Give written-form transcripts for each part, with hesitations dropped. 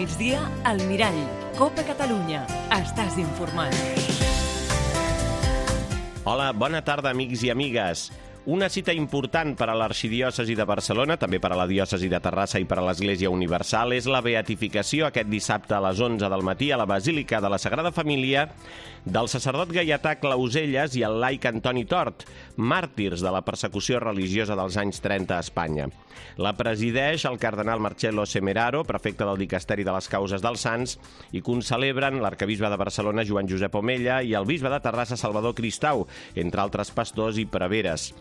migdia, al Mirall. Copa Catalunya. Estàs informat. Hola, bona tarda, amics i amigues. Una cita important per a l'Arxidiòcesi de Barcelona, també per a la Diòcesi de Terrassa i per a l'Església Universal, és la beatificació aquest dissabte a les 11 del matí a la Basílica de la Sagrada Família del sacerdot gaietà Clauselles i el laic Antoni Tort, màrtirs de la persecució religiosa dels anys 30 a Espanya. La presideix el cardenal Marcello Semeraro, prefecte del Dicasteri de les Causes dels Sants, i concelebren l'arcabisbe de Barcelona, Joan Josep Omella, i el bisbe de Terrassa, Salvador Cristau, entre altres pastors i preveres.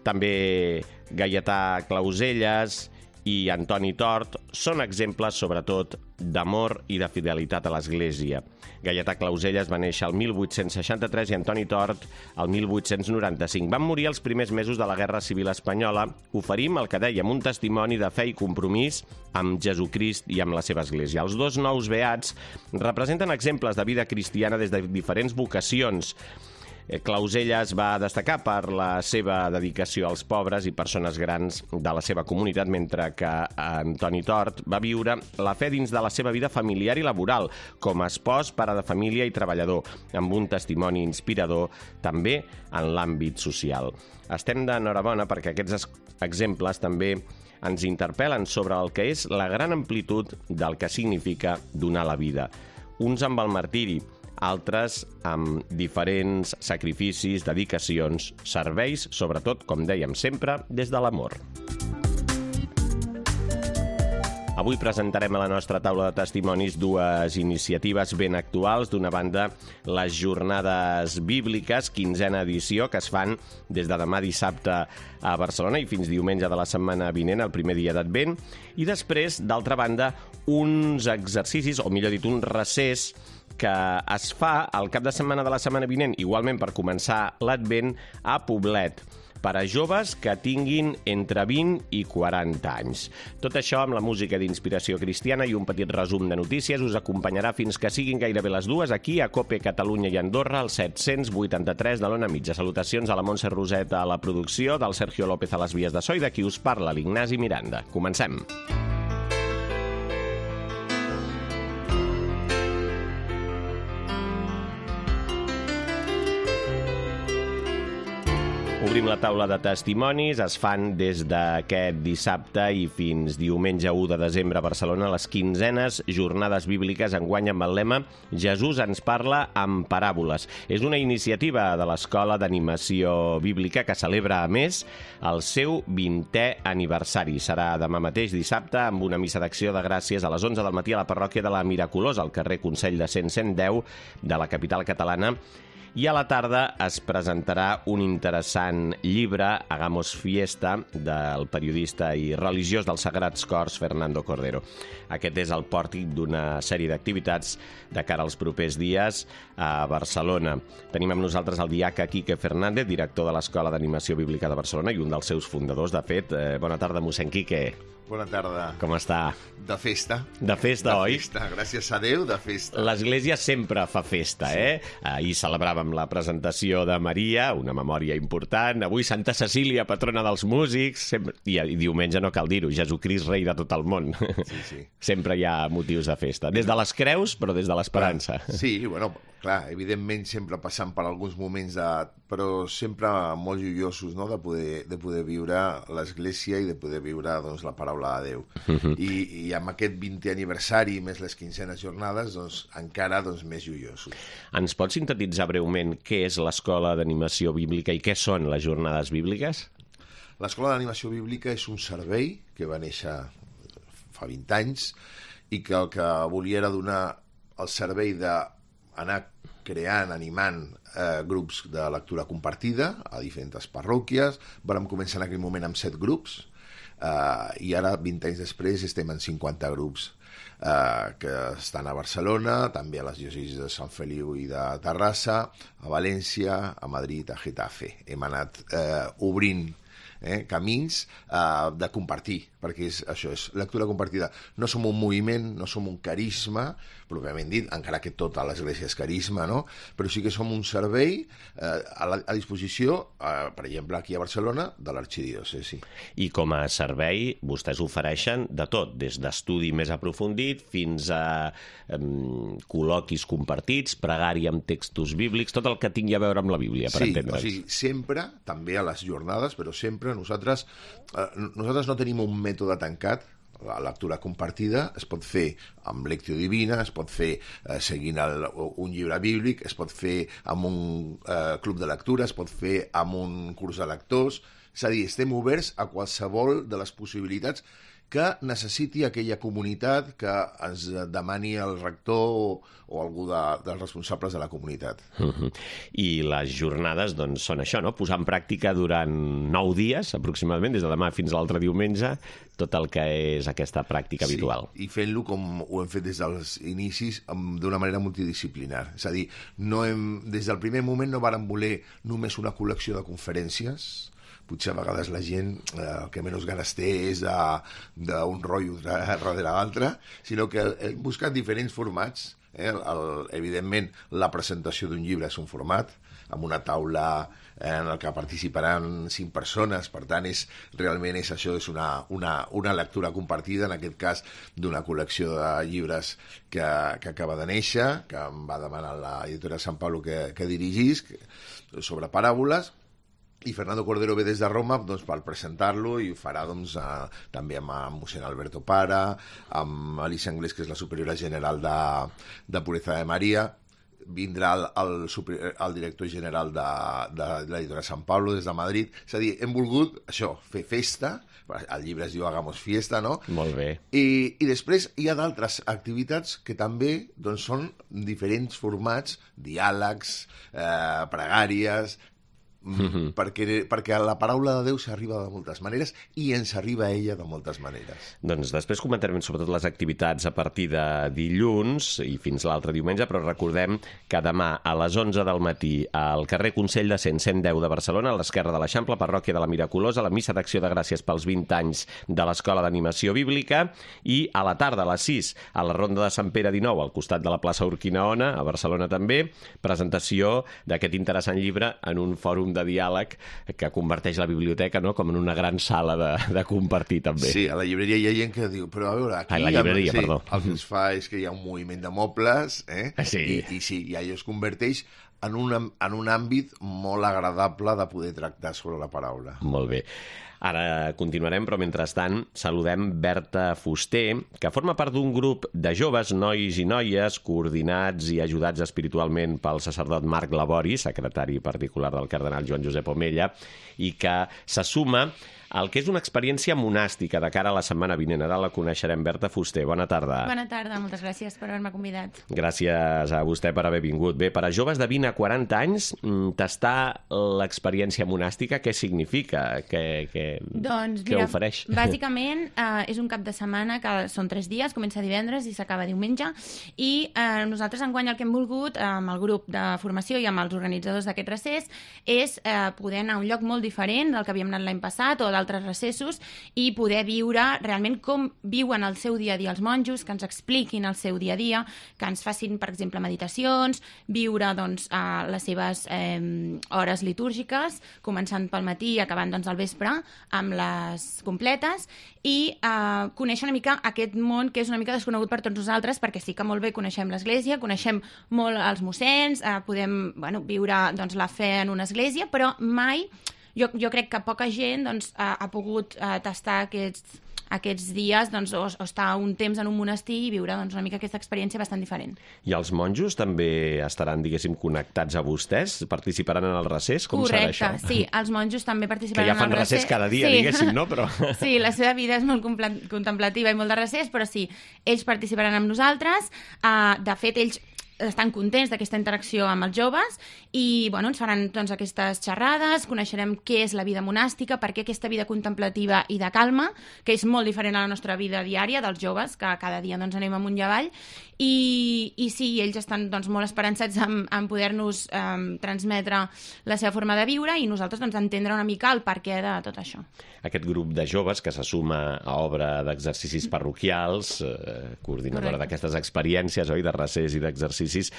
També gaietà Clauselles i Antoni Tort són exemples, sobretot, d'amor i de fidelitat a l'Església. Gaietà Clauselles va néixer el 1863 i Antoni Tort el 1895. Van morir els primers mesos de la Guerra Civil Espanyola. Oferim el que dèiem, un testimoni de fe i compromís amb Jesucrist i amb la seva Església. Els dos nous beats representen exemples de vida cristiana des de diferents vocacions. Clauselles va destacar per la seva dedicació als pobres i persones grans de la seva comunitat, mentre que Antoni Tort va viure la fe dins de la seva vida familiar i laboral, com a espòs, pare de família i treballador, amb un testimoni inspirador també en l'àmbit social. Estem d'enhorabona perquè aquests exemples també ens interpel·len sobre el que és la gran amplitud del que significa donar la vida. Uns amb el martiri, altres amb diferents sacrificis, dedicacions, serveis, sobretot, com dèiem sempre, des de l'amor. Avui presentarem a la nostra taula de testimonis dues iniciatives ben actuals. D'una banda, les Jornades Bíbliques, 15a edició, que es fan des de demà dissabte a Barcelona i fins diumenge de la setmana vinent, el primer dia d'Advent. I després, d'altra banda, uns exercicis, o millor dit, un recés que es fa al cap de setmana de la setmana vinent, igualment per començar l'Advent, a Poblet, per a joves que tinguin entre 20 i 40 anys. Tot això amb la música d'inspiració cristiana i un petit resum de notícies us acompanyarà fins que siguin gairebé les dues aquí a Cope Catalunya i Andorra, al 783 de l'Ona Mitja. Salutacions a la Montse Roseta a la producció, del Sergio López a les vies de so i de qui us parla, l'Ignasi Miranda. Comencem. Obrim la taula de testimonis, es fan des d'aquest dissabte i fins diumenge 1 de desembre a Barcelona les 15enes Jornades Bíbliques, enguany amb el lema Jesús ens parla amb paràboles. És una iniciativa de l'Escola d'Animació Bíblica que celebra, a més, el seu 20è aniversari. Serà demà mateix dissabte amb una missa d'acció de gràcies a les 11 del matí a la parròquia de la Miraculosa, al carrer Consell de Cent 110 de la capital catalana. I a la tarda es presentarà un interessant llibre, Hagamos Fiesta, del periodista i religiós dels Sagrats Cors, Fernando Cordero. Aquest és el pòrtic d'una sèrie d'activitats de cara als propers dies a Barcelona. Tenim amb nosaltres el diaca Quique Fernández, director de l'Escola d'Animació Bíblica de Barcelona i un dels seus fundadors, de fet. Bona tarda, mossèn Quique. Bona tarda. Com està? De festa. De festa, oi? De festa, gràcies a Déu, de festa. L'Església sempre fa festa, eh? Ahir celebràvem la presentació de Maria, una memòria important. Avui Santa Cecília, patrona dels músics. I diumenge no cal dir-ho, Jesucrist, rei de tot el món. Sí. Sempre hi ha motius de festa. Des de les creus, però des de l'esperança. Sí, bueno, clar, evidentment sempre passant per alguns moments, però sempre molt joiosos, no?, de poder viure l'Església i de poder viure, doncs, la paraula de Déu. I amb aquest 20è aniversari, més les 15enes jornades, doncs, encara més joiosos. Ens pots sintetitzar breument què és l'Escola d'Animació Bíblica i què són les Jornades Bíbliques? L'Escola d'Animació Bíblica és un servei que va néixer fa 20 anys i que el que volia era donar el servei d'anar creant, animant grups de lectura compartida a diferents parròquies. Vam començar en aquell moment amb 7 grups i ara, 20 anys després, estem en 50 grups que estan a Barcelona, també a les diòcesis de Sant Feliu i de Terrassa, a València, a Madrid, a Getafe. Hem anat obrint camins de compartir, perquè això és lectura compartida. No som un moviment, no som un carisma, pròpiament dit, encara que tota l'Església és carisma, no? Però sí que som un servei a disposició, per exemple, aquí a Barcelona, de l'arxidiòcesi. I com a servei, vostès ofereixen de tot, des d'estudi més aprofundit fins a col·loquis compartits, pregària amb textos bíblics, tot el que tingui a veure amb la Bíblia, per entendre'ns. Sí, o sigui, sempre, també a les jornades, però sempre nosaltres no tenim un mètode tancat. La lectura compartida es pot fer amb lectio divina, es pot fer seguint un llibre bíblic, es pot fer amb un club de lectura, es pot fer amb un curs de lectors. És a dir, estem oberts a qualsevol de les possibilitats que necessiti aquella comunitat que ens demani el rector o algú dels responsables de la comunitat. I les jornades doncs, són això, no? Posar en pràctica durant 9 dies, aproximadament, des de demà fins a l'altre diumenge, tot el que és aquesta pràctica habitual. I fent-lo com ho hem fet des dels inicis, d'una manera multidisciplinar. És a dir, des del primer moment no vàrem voler només una col·lecció de conferències. Potser a vegades la gent el que menys ganes té és d'un rotllo darrere l'altre, sinó que hem buscat diferents formats. Evidentment, la presentació d'un llibre és un format, amb una taula en el que participaran 5 persones, per tant, realment això és una lectura compartida, en aquest cas d'una col·lecció de llibres que acaba de néixer, que em va demanar l'editora Sant Pablo que dirigís, sobre paràboles, i Fernando Cordero ve des de Roma per presentar-lo i ho farà també amb mossèn Alberto Para, amb Alicia Anglés, que és la superiora general de Pureza de Maria, vindrà el director general de l'editora Sant Pablo des de Madrid. És a dir, hem volgut això, fer festa, el llibre es diu Hagamos Fiesta, no? Molt bé. I després hi ha d'altres activitats que també són diferents formats, diàlegs, pregàries, perquè la paraula de Déu s'arriba de moltes maneres i ens arriba a ella de moltes maneres. Doncs després comentarem sobretot les activitats a partir de dilluns i fins l'altre diumenge, però recordem que demà a les 11 del matí al carrer Consell de Cent 110 de Barcelona, a l'esquerra de l'Eixample, parròquia de la Miraculosa, la missa d'acció de gràcies pels 20 anys de l'Escola d'Animació Bíblica, i a la tarda, a les 6, a la Ronda de Sant Pere 19, al costat de la plaça Urquinaona, a Barcelona també, presentació d'aquest interessant llibre en un fòrum de diàleg que converteix la biblioteca, no?, com en una gran sala de compartir també. Sí, a la llibreria hi ha gent que diu, però a veure, aquí la llibreria, perdó. El que es fa és que hi ha un moviment de mobles, Sí. I allò es converteix en un àmbit molt agradable de poder tractar sobre la paraula. Molt bé. Ara continuarem, però mentrestant saludem Berta Fuster, que forma part d'un grup de joves, nois i noies, coordinats i ajudats espiritualment pel sacerdot Marc Labori, secretari particular del cardenal Joan Josep Omella, i que se suma al que és una experiència monàstica de cara a la setmana vinent. Ara la coneixerem. Berta Fuster, bona tarda. Bona tarda, moltes gràcies per haver-me convidat. Gràcies a vostè per haver vingut. Bé, per a joves de 20 a 40 anys, tastar l'experiència monàstica, què significa? Doncs, què ofereix? Bàsicament, és un cap de setmana que són 3 dies, comença divendres i s'acaba diumenge, i nosaltres enguany el que hem volgut, amb el grup de formació i amb els organitzadors d'aquest recés, és poder anar a un lloc molt diferent del que havíem anat l'any passat o d'altres recessos, i poder viure realment com viuen el seu dia a dia els monjos, que ens expliquin el seu dia a dia, que ens facin, per exemple, meditacions, viure les seves hores litúrgiques, començant pel matí i acabant al vespre amb les completes, i conèixer una mica aquest món que és una mica desconegut per tots nosaltres, perquè sí que molt bé coneixem l'Església, coneixem molt els mossens, podem viure la fe en una església, però mai, jo crec que poca gent ha pogut tastar aquests dies o estar un temps en un monestir i viure una mica aquesta experiència bastant diferent. I els monjos també estaran, diguéssim, connectats a vostès? Participaran en el recés? Com serà això? Correcte, sí. Els monjos també participaran en el recés. Que ja fan recés cada dia, diguéssim, no? Però... Sí, la seva vida és molt contemplativa i molt de recés, però sí, ells participaran amb nosaltres. De fet, ells estan contents d'aquesta interacció amb els joves i bueno, ens faran doncs, aquestes xerrades, coneixerem què és la vida monàstica, per què aquesta vida contemplativa i de calma, que és molt diferent a la nostra vida diària dels joves, que cada dia doncs, anem amunt i avall, i sí, ells estan doncs, molt esperançats en poder-nos transmetre la seva forma de viure i nosaltres doncs, entendre una mica el perquè de tot això. Aquest grup de joves que se suma a obra d'exercicis parroquials, coordinadora d'aquestes experiències, oi, de recés i d'exercicis,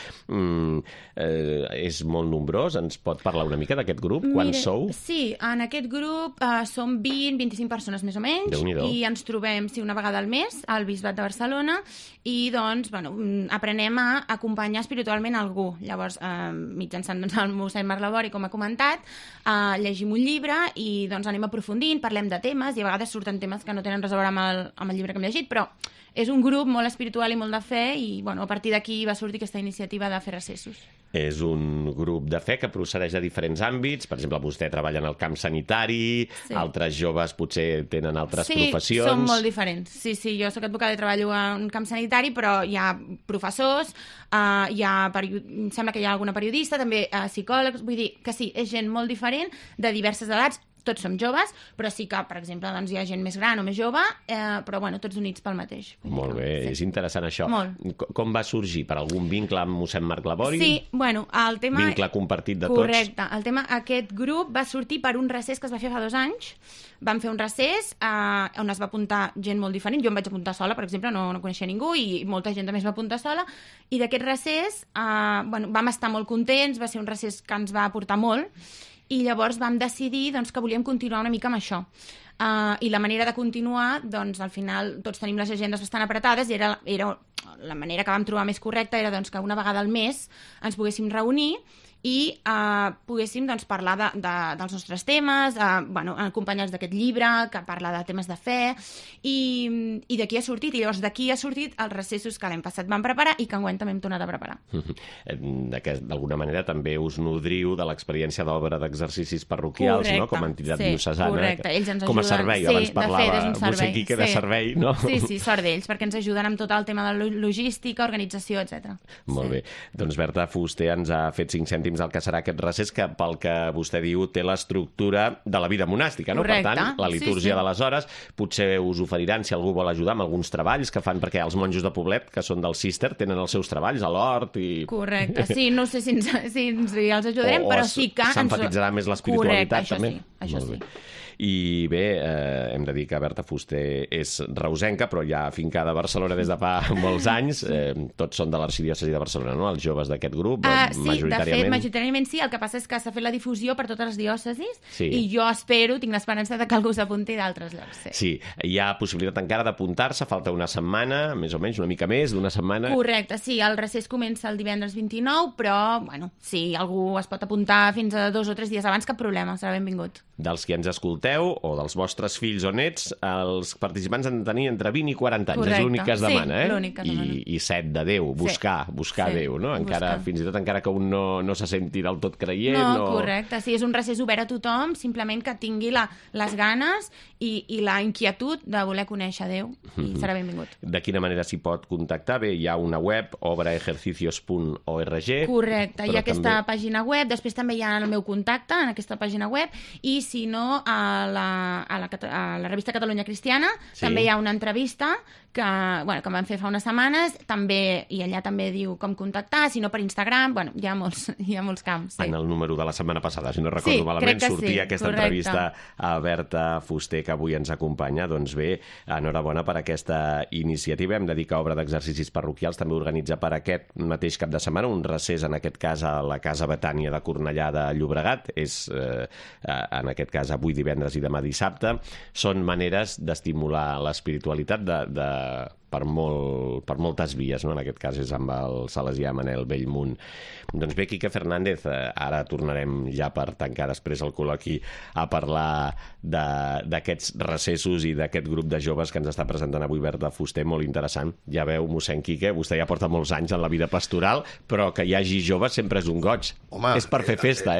és molt nombrós. Ens pot parlar una mica d'aquest grup? Quants sou? Sí, en aquest grup som 20-25 persones més o menys i ens trobem una vegada al mes al Bisbat de Barcelona i doncs, bueno, aprenem a acompanyar espiritualment algú. Llavors, mitjançant doncs, el mossèn Marlabori, com ha comentat, llegim un llibre i doncs, anem aprofundint, parlem de temes i a vegades surten temes que no tenen res a veure amb el llibre que hem llegit, però és un grup molt espiritual i molt de fe i bueno, a partir d'aquí va sortir aquesta iniciativa de fer recessos. És un grup de fe que procedeix de diferents àmbits. Per exemple, vostè treballa en el camp sanitari, altres joves potser tenen altres professions. Sí, són molt diferents. Sí, jo soc advocada i treballo en camp sanitari, però hi ha professors, em sembla que hi ha alguna periodista, també psicòlegs, vull dir que sí, és gent molt diferent, de diverses edats, tots som joves, però sí que, per exemple, doncs, hi ha gent més gran o més jove, però bueno, tots units pel mateix. Molt bé, és interessant això. Molt. Com va sorgir? Per algun vincle amb mossèn Marc Labori? Sí, bueno, el tema... Vincle compartit de tots? Correcte. El tema, aquest grup va sortir per un recés que es va fer fa 2 anys. Vam fer un recés on es va apuntar gent molt diferent. Jo em vaig apuntar sola, per exemple, no coneixia ningú, i molta gent també es va apuntar sola. I d'aquest recés, vam estar molt contents, va ser un recés que ens va aportar molt, i llavors vam decidir doncs, que volíem continuar una mica amb això. I la manera de continuar, doncs, al final tots tenim les agendes bastant apretades i era la manera que vam trobar més correcta era doncs, que una vegada al mes ens poguéssim reunir i poguéssim doncs, parlar dels nostres temes, acompanyats d'aquest llibre que parla de temes de fe i d'aquí ha sortit, i llavors d'aquí ha sortit els recessos que l'any passat vam preparar i que enguany també hem tornat a preparar. D'alguna manera també us nodriu de l'experiència d'obra d'exercicis parroquials, correcte, no? Com a entitat diocesana, correcte. Ells ens com a ajuden, servei, abans parlava mossèn Quique de servei, no? Sí, sort d'ells, perquè ens ajuden amb tot el tema de logística, organització, etc. Molt bé. Doncs Berta Fuster ens ha fet 5 cèntims el que serà aquest recés, que pel que vostè diu té l'estructura de la vida monàstica, no? Correcte. Per tant, la litúrgia de les hores, potser us oferiran, si algú vol ajudar, amb alguns treballs que fan, perquè els monjos de Poblet, que són del Cister, tenen els seus treballs a l'hort i... Correcte, sí, no sé si els ajudarem, però sí que... s'emfatitzarà més l'espiritualitat, correcte, també. Això sí. I bé, hem de dir que Berta Fuster és reusenca, però ja afincada a Barcelona des de fa molts anys. Tots són de l'arxidiòcesi de Barcelona, no?, els joves d'aquest grup, majoritàriament. Sí, de fet, majoritàriament sí. El que passa és que s'ha fet la difusió per totes les diòcesis i jo tinc l'esperança de que algú s'apunti d'altres llocs. Sí, hi ha possibilitat encara d'apuntar-se, falta una setmana, més o menys, una mica més d'una setmana. Correcte, sí, el recés comença el divendres 29, però, bueno, si algú es pot apuntar fins a 2 o 3 dies abans, cap problema, serà benvingut. Dels que ens escolteu, o dels vostres fills o nets, els participants han de tenir entre 20 i 40 anys. Correcte. És l'únic que es demana, l'únic que es demana. I 7 de Déu, buscar Déu, no? Fins i tot encara que un no se senti del tot creient. No, correcte, sí, és un recés obert a tothom, simplement que tingui les ganes i la inquietud de voler conèixer Déu, i serà benvingut. De quina manera s'hi pot contactar? Bé, hi ha una web, obraejercicios.org. Correcte, hi ha aquesta pàgina web, després també hi ha el meu contacte en aquesta pàgina web, i si no, a la revista Catalunya Cristiana també hi ha una entrevista que van fer fa unes setmanes, i allà també diu com contactar, si no per Instagram, hi ha molts camps. En el número de la setmana passada, si no recordo malament, sortia aquesta entrevista a Berta Fuster, que avui ens acompanya. Doncs bé, enhorabona per aquesta iniciativa. Hem de dir que Obra d'Exercicis Parroquials també organitza per aquest mateix cap de setmana un recés, en aquest cas a la Casa Betània de Cornellà de Llobregat. És, en aquest cas, avui divendres i demà dissabte. Són maneres d'estimular l'espiritualitat per moltes vies, no? En aquest cas és amb el salesià Manel Bellmunt. Doncs bé, Quique Fernández, ara tornarem ja per tancar després el col·loqui a parlar d'aquests recessos i d'aquest grup de joves que ens està presentant avui Berta Fuster, molt interessant. Ja veu, mossèn Quique, vostè ja porta molts anys en la vida pastoral, però que hi hagi joves sempre és un goig. Home, és per fer festa,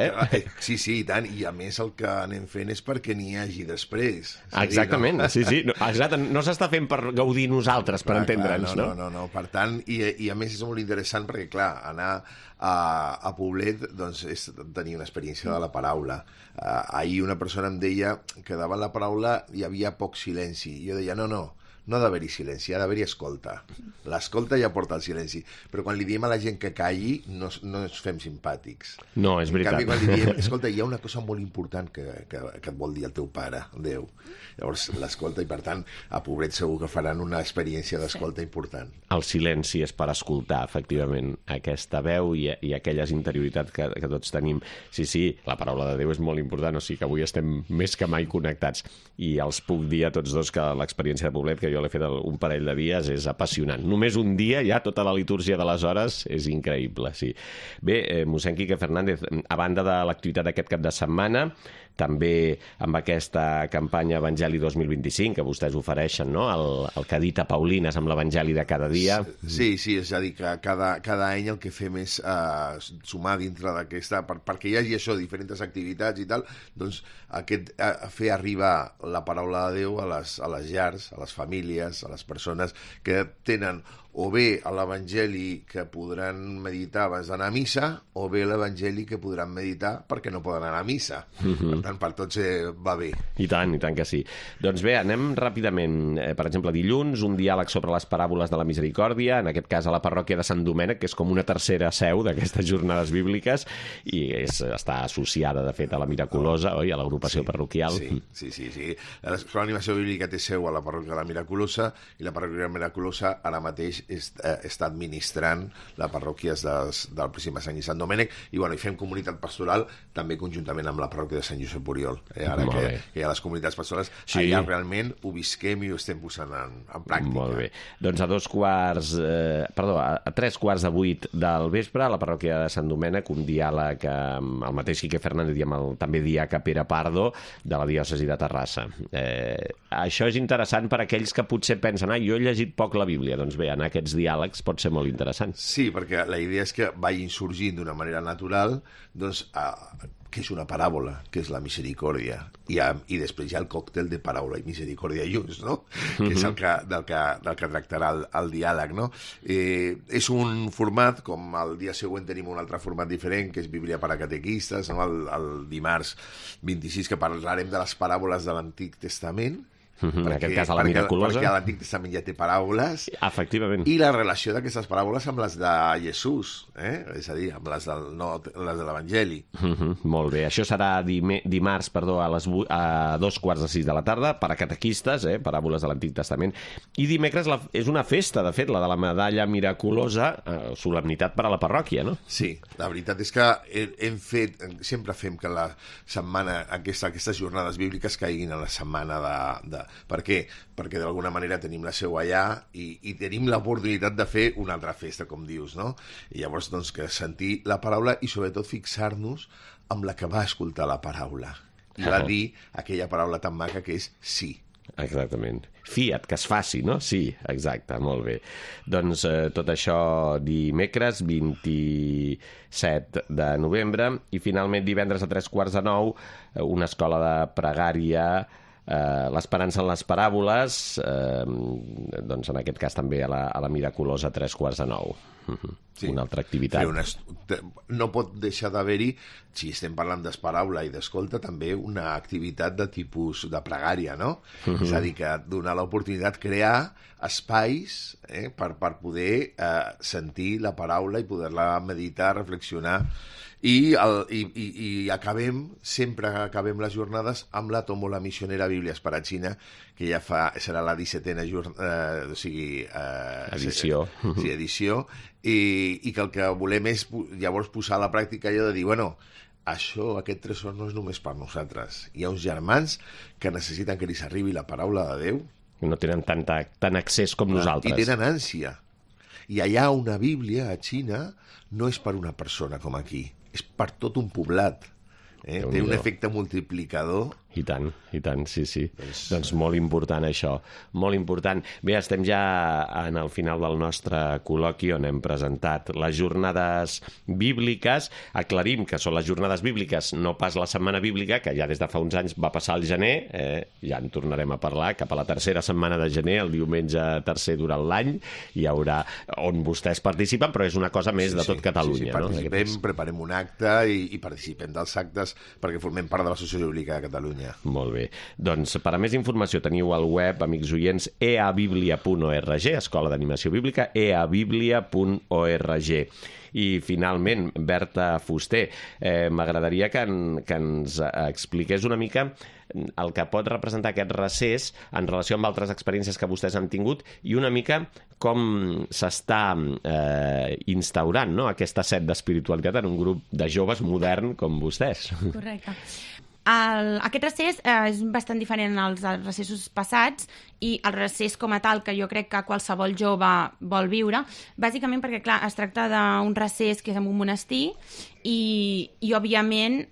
Sí, i tant, i a més el que anem fent és perquè n'hi hagi després. Exactament, sí. Exacte, no s'està fent per gaudir nosaltres, hores per entendre'ns, no? No. Per tant, i a més és molt interessant perquè, clar, anar a Poblet doncs, és tenir una experiència de la paraula. Ahir una persona em deia que davant la paraula hi havia poc silenci. Jo deia, no ha d'haver-hi silenci, ha d'haver-hi escolta. L'escolta ja porta el silenci. Però quan li diem a la gent que calli, no ens fem simpàtics. No, és veritat. En canvi, quan li diem, escolta, hi ha una cosa molt important que et vol dir el teu pare, Déu. Llavors, l'escolta, i per tant, a Pobret segur que faran una experiència d'escolta important. El silenci és per escoltar, efectivament, aquesta veu i aquelles interioritats que tots tenim. Sí, la paraula de Déu és molt important, o sigui que avui estem més que mai connectats. I els puc dir a tots dos que l'experiència de Poblet, que jo l'he fet un parell de dies, és apassionant. Només un dia, ja tota la litúrgia de les hores, és increïble, sí. Bé, mossèn Quique Fernández, a banda de l'activitat d'aquest cap de setmana, també amb aquesta campanya Evangeli 2025 que vostès ofereixen, no? El que dita Paulines amb l'Evangeli de cada dia. Sí, és a dir, que cada any el que fem és sumar dintre d'aquesta, perquè hi hagi això, diferents activitats i tal, doncs fer arribar la paraula de Déu a les llars, a les famílies, a les persones que tenen o bé l'Evangeli que podran meditar abans d'anar a missa, o bé l'Evangeli que podran meditar perquè no poden anar a missa. Per tant, per tots va bé. I tant que sí. Doncs bé, anem ràpidament. Per exemple, dilluns, un diàleg sobre les paràboles de la misericòrdia, en aquest cas a la parròquia de Sant Domènec, que és com una tercera seu d'aquestes jornades bíbliques, i està associada, de fet, a la Miraculosa, oi? A l'agrupació parroquial. Sí. L'animació bíblica té seu a la parròquia de la Miraculosa, i la parròquia de la Miraculosa ara mateix està administrant la parròquia del Pròxim Sant i Sant Domènec, i fem comunitat pastoral també conjuntament amb la parròquia de Sant Josep Oriol. Ara que hi ha les comunitats pastorals, allà realment ho visquem i ho estem posant en pràctica. Molt bé. Doncs a 3:15 del vespre, a la parròquia de Sant Domènec, un diàleg amb el mateix Quique Fernández i amb el també diaca Pere Pardo, de la diòcesi de Terrassa. Això és interessant per a aquells que potser pensen, jo he llegit poc la Bíblia. Doncs bé, en aquests diàlegs pot ser molt interessant. Sí, perquè la idea és que vagin sorgint d'una manera natural, doncs, què és una paràbola, què és la misericòrdia, i després hi ha el còctel de paraula i misericòrdia junts, no? Que és del que tractarà el diàleg, no? És un format, com el dia següent tenim un altre format diferent, que és Bíblia per a catequistes, no? El dimarts 26, que parlarem de les paràboles de l'Antic Testament, en aquest cas a la Miraculosa, perquè l'Antic Testament ja té paràboles, efectivament, i la relació d'aquestes paràboles amb les de Jesús, és a dir, amb les de l'Evangeli. Molt bé, això serà dimarts a 5:45 de la tarda per a catequistes, paràboles de l'Antic Testament, i dimecres és una festa, de fet, la de la medalla miraculosa, solemnitat per a la parròquia, no? Sí, la veritat és que sempre fem que la setmana, aquestes jornades bíbliques caiguin a la setmana de per què? Perquè d'alguna manera tenim la seu allà i tenim l'oportunitat de fer una altra festa, com dius, no? I llavors, doncs, que sentir la paraula i sobretot fixar-nos amb la que va escoltar la paraula. I va dir aquella paraula tan maca que és sí. Exactament. Fiat, que es faci, no? Sí, exacte, molt bé. Doncs tot això dimecres 27 de novembre, i finalment divendres a 8:45 una escola de pregària, l'Esperança en les paràboles, doncs en aquest cas també a la Miraculosa a 8:45. Sí. Una altra activitat. No pot deixar d'haver-hi, si estem parlant d'esparaula i d'escolta, també una activitat de tipus de pregària, no? És a dir, que donar l'oportunitat, crear espais per poder sentir la paraula i poder-la meditar, reflexionar. I sempre acabem les jornades amb la Tómbola Misionera Bíblia Esparatsina, que ja serà la 17a edició. Sí, edició, i que el que volem és llavors posar a la pràctica allò de dir, aquest tresor no és només per nosaltres. Hi ha uns germans que necessiten que els arribi la paraula de Déu. No tenen tant accés com nosaltres. I tenen ànsia. I allà una Bíblia, a Xina, no és per una persona com aquí, és per tot un poblat. Té un efecte multiplicador I tant, sí. Doncs molt important això, molt important. Bé, estem ja en el final del nostre col·loqui on hem presentat les jornades bíbliques. Aclarim que són les jornades bíbliques, no pas la setmana bíblica, que ja des de fa uns anys va passar al gener, ja en tornarem a parlar, cap a la tercera setmana de gener, el diumenge tercer durant l'any, hi haurà on vostès participen, però és una cosa més de tot Catalunya. Participem, preparem un acte i participem dels actes perquè formem part de l'Associació Bíblica de Catalunya. Molt bé. Doncs per a més informació teniu al web, amics oients, eabiblia.org, Escola d'Animació Bíblica, eabiblia.org. I finalment, Berta Fuster, m'agradaria que ens expliqués una mica el que pot representar aquest recés en relació amb altres experiències que vostès han tingut i una mica com s'està instaurant, no?, aquesta set d'espiritualitat en un grup de joves modern com vostès. Correcte. Aquest recés és bastant diferent als recessos passats i el recés com a tal que jo crec que qualsevol jove vol viure, bàsicament perquè, clar, es tracta d'un recés que és en un monestir i òbviament,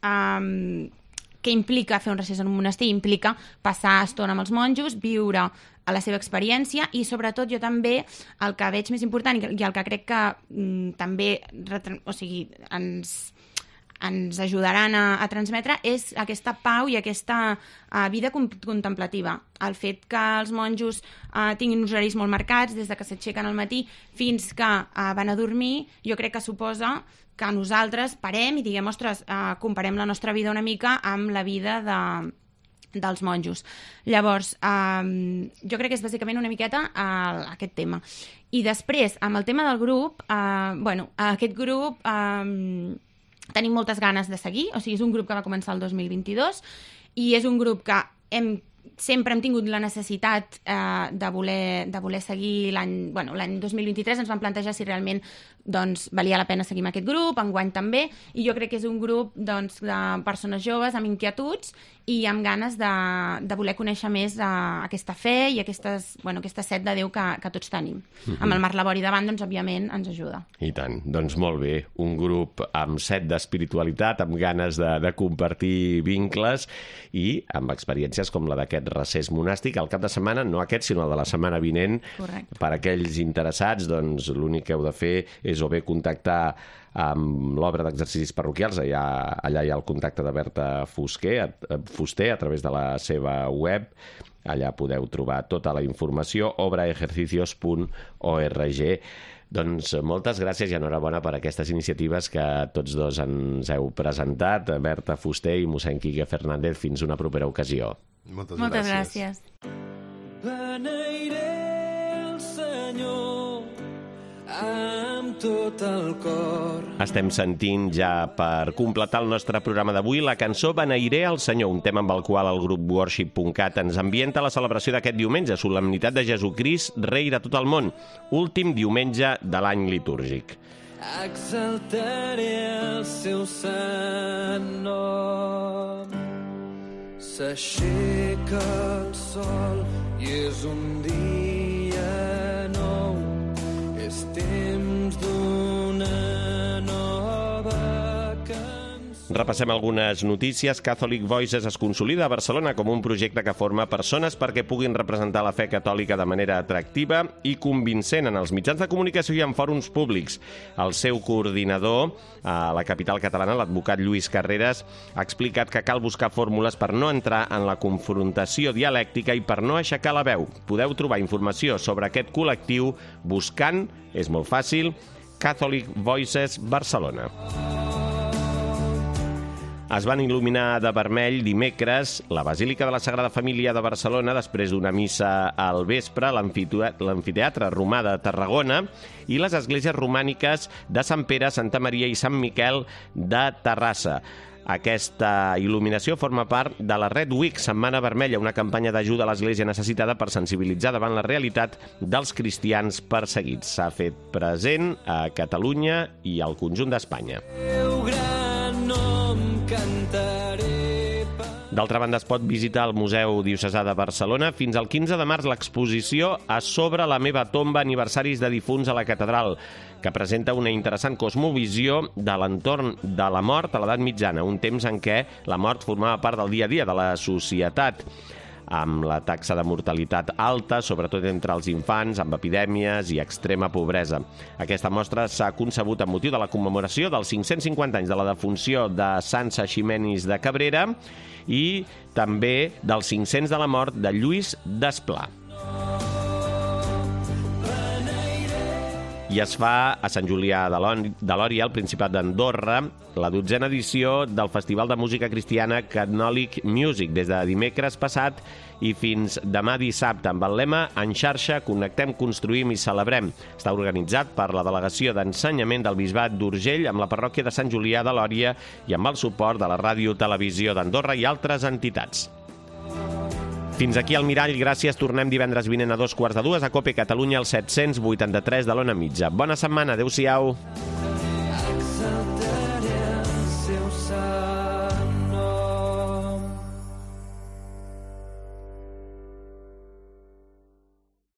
què implica fer un recés en un monestir? Implica passar estona amb els monjos, viure a la seva experiència i, sobretot, jo també el que veig més important i el que crec que també ens ajudaran a transmetre és aquesta pau i aquesta vida contemplativa. El fet que els monjos tinguin uns horaris molt marcats, des de que s'aixequen al matí fins que van a dormir, jo crec que suposa que nosaltres parem i diguem, ostres, comparem la nostra vida una mica amb la vida dels monjos. Llavors, jo crec que és bàsicament una miqueta aquest tema. I després, amb el tema del grup, aquest grup tenim moltes ganes de seguir, o sigui, és un grup que va començar el 2022 i és un grup que sempre hem tingut la necessitat de voler seguir l'any 2023. Ens vam plantejar si realment valia la pena seguir amb aquest grup, enguany també, i jo crec que és un grup de persones joves amb inquietuds i amb ganes de voler conèixer més aquesta fe i aquesta set de Déu que tots tenim. Amb el Marc Labori davant, òbviament, ens ajuda. I tant. Doncs molt bé. Un grup amb set d'espiritualitat, amb ganes de compartir vincles i amb experiències com la d'aquest recés monàstic. Al cap de setmana, no aquest, sinó el de la setmana vinent. Correcte. Per aquells interessats, l'únic que heu de fer és o bé contactar amb l'obra d'exercicis parroquials, allà hi ha el contacte de Berta Fuster a través de la seva web, allà podeu trobar tota la informació, obraejercicios.org. Doncs moltes gràcies i enhorabona per aquestes iniciatives que tots dos ens heu presentat, Berta Fuster i mossèn Quique Fernández. Fins una propera ocasió. Moltes gràcies. Beneiré el Senyor amb tot el cor. Estem sentint ja, per completar el nostre programa d'avui, la cançó Beneiré el Senyor, un tema amb el qual el grup worship.cat ens ambienta la celebració d'aquest diumenge, solemnitat de Jesucrist, rei de tot el món, últim diumenge de l'any litúrgic. Exaltaré el seu sant nom. S'aixeca el sol i és un dia nou. És temps d'una nova cançó. Repassem algunes notícies. Catholic Voices es consolida a Barcelona com un projecte que forma persones perquè puguin representar la fe catòlica de manera atractiva i convincent en els mitjans de comunicació i en fòrums públics. El seu coordinador a la capital catalana, l'advocat Lluís Carreras, ha explicat que cal buscar fórmules per no entrar en la confrontació dialèctica i per no aixecar la veu. Podeu trobar informació sobre aquest col·lectiu buscant, és molt fàcil, Catholic Voices Barcelona. Es van il·luminar de vermell dimecres la Basílica de la Sagrada Família de Barcelona després d'una missa al vespre, l'Amfiteatre Romà de Tarragona i les esglésies romàniques de Sant Pere, Santa Maria i Sant Miquel de Terrassa. Aquesta il·luminació forma part de la Red Week, Setmana Vermella, una campanya d'ajuda a l'Església necessitada per sensibilitzar davant la realitat dels cristians perseguits. S'ha fet present a Catalunya i al conjunt d'Espanya. D'altra banda, es pot visitar el Museu Diocesà de Barcelona. Fins al 15 de març l'exposició A sobre la meva tomba, aniversaris de difunts a la catedral, que presenta una interessant cosmovisió de l'entorn de la mort a l'edat mitjana, un temps en què la mort formava part del dia a dia de la societat, amb la taxa de mortalitat alta, sobretot entre els infants, amb epidèmies i extrema pobresa. Aquesta mostra s'ha concebut amb motiu de la commemoració dels 550 anys de la defunció de Sant Eiximenis de Cabrera i també dels 500 de la mort de Lluís Desplà. I es fa a Sant Julià de Lòria, al Principat d'Andorra, la 12a edició del Festival de Música Cristiana Catholic Music, des de dimecres passat i fins demà dissabte, amb el lema En xarxa, connectem, construïm i celebrem. Està organitzat per la Delegació d'Ensenyament del Bisbat d'Urgell, amb la parròquia de Sant Julià de Lòria i amb el suport de la Ràdio Televisió d'Andorra i altres entitats. Fins aquí el Mirall, gràcies. Tornem divendres vinent a 2:15 a COPE Catalunya, al 783 de l'Ona Mitja. Bona setmana, adeu-siau.